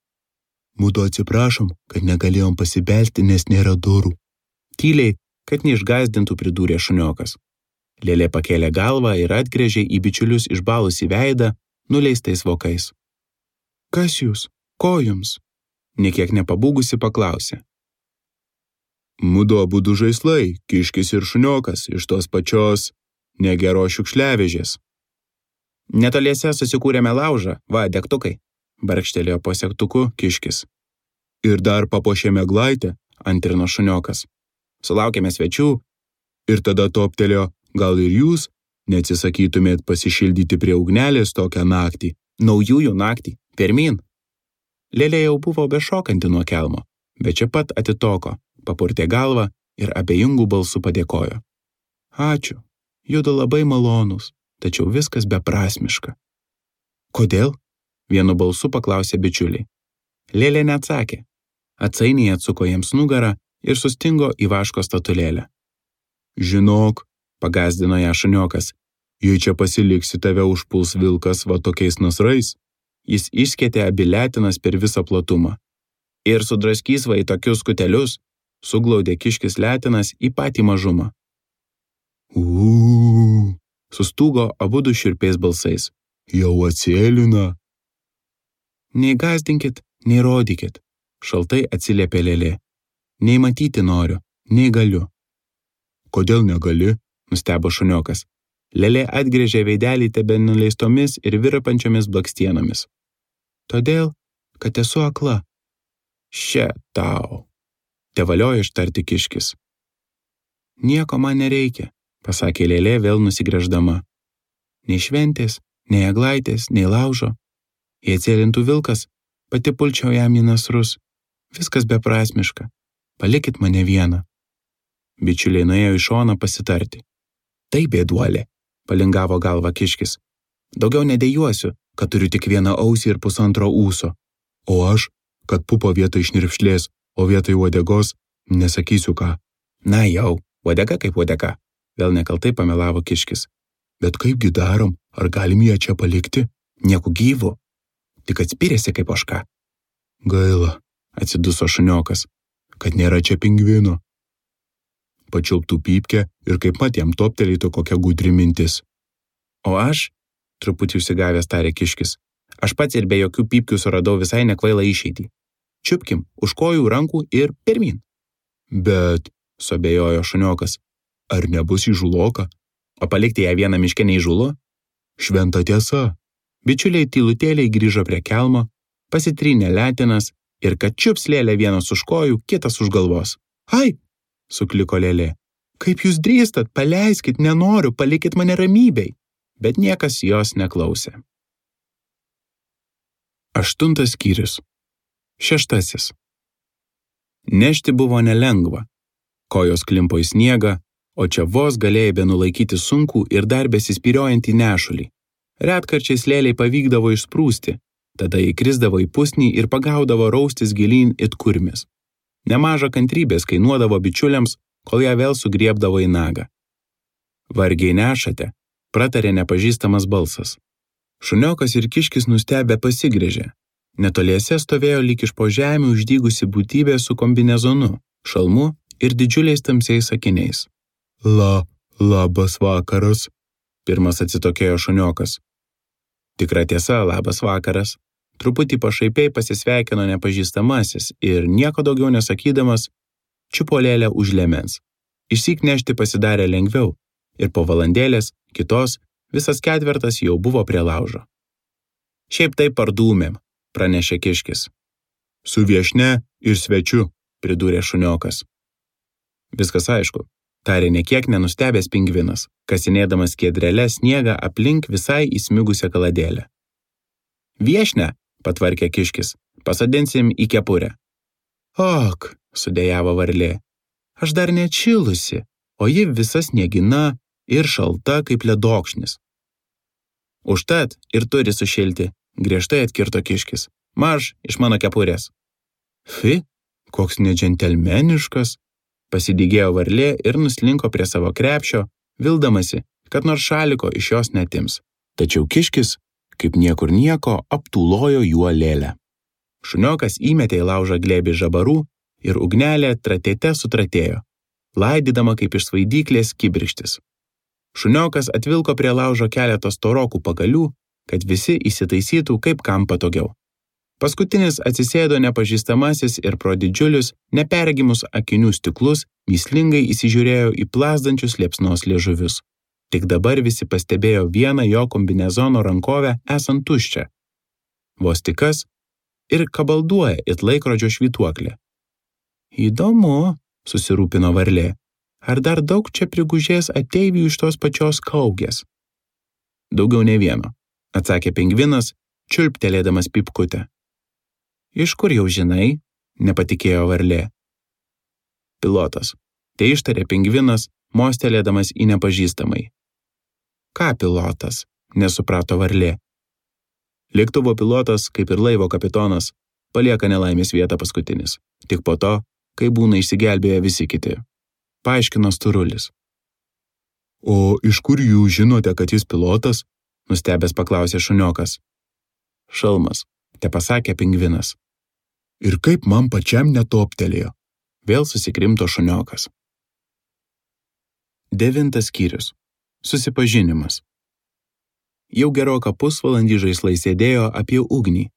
S1: Mudu atsiprašom, kad negalėjom pasibelsti, nes nėra durų. Tyliai, kad neišgazdintų, pridūrė šuniokas. Lėlė pakėlė galvą ir atgręžė į bičiulius išbalusį veidą nuleistais vokais. Kas jūs? Ko jums? Niekiek nepabūgusi paklausė. Mudu abudu žaislai, kiškis ir šuniokas, iš tos pačios negero šiukšliavežės. Netoliese susikūrėme laužą, va, degtukai, barkštelėjo po segtuku kiškis. Ir dar papuošėme glaitę, antrino šuniokas. Sulaukėme svečių ir tada toptelėjo, gal ir jūs Neatsisakytumėt pasišildyti prie ugnelės tokią naktį, naujųjų naktį, pirmin. Lėlė jau buvo bešokanti nuo kelmo, bet čia pat atitoko, papurtė galvą ir abejingų balsų padėkojo. Ačiū, judu labai malonūs, tačiau viskas beprasmiška. Kodėl? Vienu balsu paklausė bičiuliai. Lėlė neatsakė. Atsainiai atsuko jiems nugarą ir sustingo į vaško statulėlę. Žinok, pagazdino ją šuniokas, jei čia pasiliksi, tave užpuls vilkas va tokiais nasrais. Jis išskėtė abi letinas per visą platumą. Ir sudraskys va į tokius skutelius, suglaudė kiškis letinas į patį mažumą. Uuu, sustūgo abudu šiurpiais balsais. Jau atsėlina. Nei gazdinkit, nei rodykit, šaltai atsiliepė Lėlė. Nei matyti noriu, nei galiu. Kodėl negali? Nustebo šuniokas. Lėlė atgrėžė veidelį tebe nuleistomis ir virpančiomis blakstienomis. Todėl, kad esu akla. Še tau. Tevaliojo ištarti kiškis. Nieko man nereikia, pasakė Lėlė vėl nusigręždama. Nei šventės, nei eglaitės, nei laužo. Jei atsėlintų vilkas, pati pulčiau jam į nasrus. Viskas beprasmiška. Palikit mane vieną. Bičiuliai nuėjo į šoną pasitarti. Tai bėduolė, palingavo galva kiškis. Daugiau nedėjuosiu, kad turiu tik vieną ausį ir pusantro ūso. O aš, kad pupo vietoj šnirpšlės, o vietoj uodegos, nesakysiu ką. Na jau, uodega kaip uodega, vėl nekaltai pamelavo kiškis. Bet kaipgi darom, ar galim ją čia palikti? Nieku gyvu. Tik atspyrėsi kaip ožka. Gaila, atsiduso šuniokas, kad nėra čia pingvino. Pačiulptų pypkę ir kaip mat jam toptelėtų kokia gudri mintis. O aš, truputį užsigavęs tarė kiškis, aš pats ir be jokių pypkių suradau visai nekvailą išeitį. Čiupkim už kojų, rankų ir pirmin. Bet, suabejojo šuniokas, ar nebus įžuloka? O palikti ją vieną miške neįžulo? Šventa tiesa. Bičiuliai tylutėliai grįžo prie kelmo, pasitrynė letinas ir kad čiups Lėlę vienas už kojų, kitas už galvos. Ai, sukliko Lėlė. Kaip jūs drįstat, paleiskit, nenoriu, palikit mane ramybei. Bet niekas jos neklausė. Aštuntas skyrius. Šeštasis. Nešti buvo nelengva. Kojos klimpo į sniegą, o čia vos galėjai benulaikyti sunkų ir dar besispyriojantį nešulį. Retkarčiais Lėlei pavykdavo išsprūsti, tada įkrisdavo į pusnį ir pagaudavo raustis gilyn it kurmis. Nemaža kantrybės kainuodavo bičiuliams, kol ją vėl sugriebdavo į nagą. Vargiai nešate, pratarė nepažįstamas balsas. Šuniokas ir kiškis nustebę pasigrėžė. Netoliese stovėjo lyg iš po žemių uždygusi būtybė su kombinezonu, šalmu ir didžiuliais tamsiais akiniais. La, labas vakaras, pirmas atsitokėjo šuniokas. Tikra tiesa, labas vakaras. Truputį pašaipiai pasisveikino nepažįstamasis ir nieko daugiau nesakydamas, čiupo Lėlę už liemens. Išsyk nešti pasidarė lengviau ir po valandėlės, kitos, visas ketvertas jau buvo prie laužo. Šiaip taip pardūmėm, pranešė kiškis. Su viešne ir svečiu, pridūrė šuniokas. Viskas aišku, tarė nekiek nenustebęs pingvinas, kasinėdamas skiedrele sniegą aplink visai įsmigusią kaladėlę. Viešne, patvarkė kiškis, pasodinsim į kepurę. Ok, sudejavo varlė, aš dar neatšilusi, o ji visa sniegina ir šalta kaip ledokšnis. Užtat ir turi sušilti, griežtai atkirto kiškis. Marš iš mano kepurės. Fi, koks nedžentelmeniškas, pasidygėjo varlė ir nuslinko prie savo krepšio, vildamasi, kad nors šaliko iš jos netims. Tačiau kiškis, kaip niekur nieko, aptūlojo juo Lėlę. Šuniokas įmetė į laužą glėbį žabarų ir ugnelė tratėte sutratėjo, laidydama kaip iš svaidyklės kibirkštis. Šuniokas atvilko prie laužo keletą storokų pagalių, kad visi įsitaisytų kaip kam patogiau. Paskutinis atsisėdo nepažįstamasis ir pro didžiulius, neperregimus akinių stiklus mįslingai įsižiūrėjo į plazdančius liepsnos liežuvius. Tik dabar visi pastebėjo vieną jo kombinezono rankovę esant tuščią. Vos tik kas ir kabalduoja it laikrodžio švytuoklė. Įdomu, susirūpino varlė, ar dar daug čia prigužės ateivių iš tos pačios kaugės. Daugiau ne vieno, atsakė pingvinas, čiulptelėdamas pypkutę. Iš kur jau žinai? Nepatikėjo varlė. Pilotas. Tai ištarė pingvinas, mostelėdamas į nepažįstamai. Ką pilotas? Nesuprato varlė. Lėktuvo pilotas, kaip ir laivo kapitonas, palieka nelaimės vietą paskutinis, tik po to, kai būna išsigelbėję visi kiti. Paaiškino Storulis. O iš kur jūs žinote, kad jis pilotas? Nustebęs paklausė šuniokas. Šalmas, te pasakė pingvinas. Ir kaip man pačiam netoptelėjo? Vėl susikrimto šuniokas. Devintas skyrius. Susipažinimas. Jau geroką pusvalandį žaislai sėdėjo apie ugnį,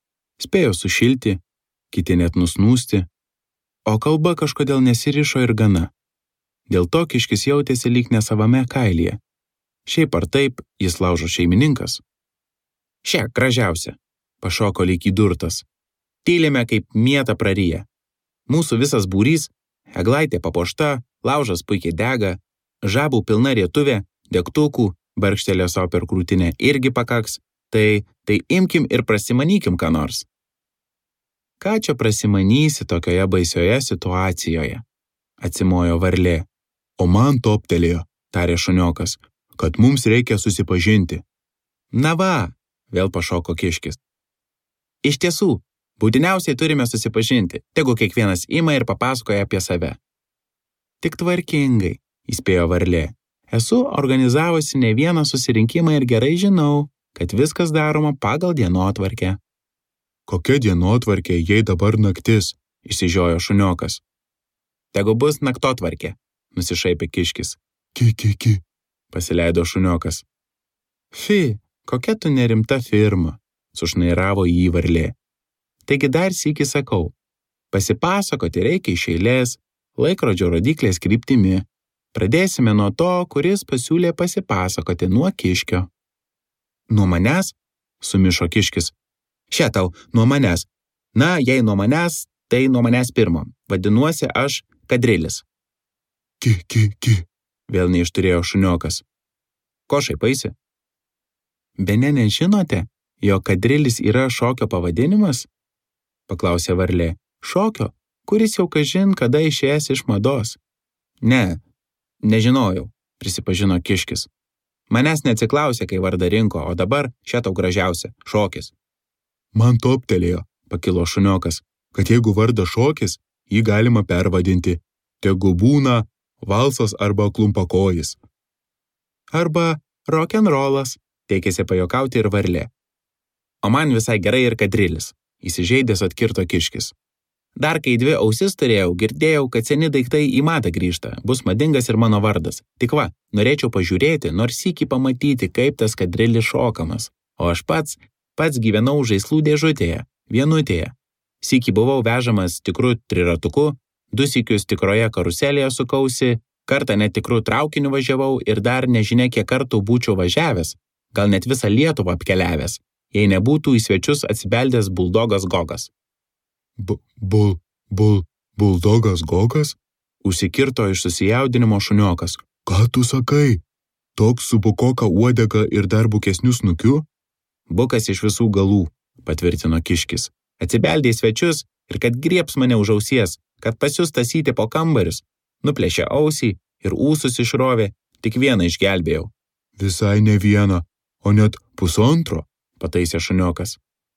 S1: spėjo sušilti, kiti net nusnūsti, o kalba kažkodėl nesirišo ir gana. Dėl to kiškis jautėsi lyg nesavame kailyje. Šiaip ar taip, jis laužo šeimininkas. Šia, gražiausia, pašoko lyg įdurtas. Tylime kaip mieta praryja. Mūsų visas būrys, eglaitė papuošta, laužas puikiai dega, žabų pilna rietuvė, degtukų, barkštelė savo per krūtinę irgi pakaks, tai, tai imkim ir prasimanykim ką nors. Ką čia prasimanysi tokioje baisioje situacijoje? Atsimojo varlė. O man toptelėjo, tarė šuniokas, kad mums reikia susipažinti. Na va, vėl pašoko kiškis. Iš tiesų, būtiniausiai turime susipažinti, tegu kiekvienas ima ir papasakoja apie save. Tik tvarkingai, įspėjo varlė. Esu organizavusi ne vieną susirinkimą ir gerai žinau, kad viskas daroma pagal dienotvarkę. Kokia dienotvarkė, jei dabar naktis, išsižiojo šuniokas. Tegu bus naktotvarkė, nusišaipė kiškis. Ki, ki, ki, pasileido šuniokas. Fi, kokia tu nerimta firma, sušnairavo jį varlė. Taigi dar sykį sakau, pasipasakoti reikia iš eilės, laikrodžio rodyklės kryptimi. Pradėsime nuo to, kuris pasiūlė pasipasakoti nuo kiškio. Nuo manęs? Sumišo kiškis. Šia tau, nuo manęs. Na, jei nuo manęs, tai nuo manęs pirmo. Vadinuosi aš Kadrilis. Ki, ki, ki, vėl neišturėjo šuniokas. Ko šaipaisi? Bene nežinote, jog Kadrilis yra šokio pavadinimas? Paklausė varlė. Šokio, kuris jau kažin kada išėjęs iš mados. Ne, nežinojau, prisipažino kiškis. Manęs neatsiklausė, kai vardą rinko, o dabar šia tau gražiausia, šokis. Man toptelėjo, pakilo šuniokas, kad jeigu vardas šokis, jį galima pervadinti. Tegu būna valsas arba klumpakojis. Arba rock'n'rollas, teikėsi pajokauti ir varlė. O man visai gerai ir Kadrilis, įsižeidęs atkirto kiškis. Dar kai dvi ausis turėjau, girdėjau, kad seni daiktai į madą grįžta, bus madingas ir mano vardas. Tik va, norėčiau pažiūrėti, nors sykį pamatyti, kaip tas Kadrilis šokamas. O aš pats, pats gyvenau žaislų dėžutėje, vienutėje. Sykį buvau vežamas tikru triratuku, du sykius tikroje karuselėje sukausi, kartą netikrų traukinių važiavau ir dar nežinia kiek kartų būčiau važiavęs, gal net visą Lietuvą apkeliavęs, jei nebūtų į svečius atsibeldęs buldogas Gogas. Bu, bul, bul, buldogas Gogas? Užsikirto iš susijaudinimo šuniokas. Ką tu sakai? Toks su bukoka uodega ir dar bukesniu snukiu? Bukas iš visų galų, patvirtino kiškis. Atsibeldė į svečius ir kad griebs mane už ausies, kad pasius tasyti po kambarius, nuplėšė ausį ir ūsus išrovė, tik vieną išgelbėjau. Visai ne vieną, o net pusantro, pataisė šuniokas.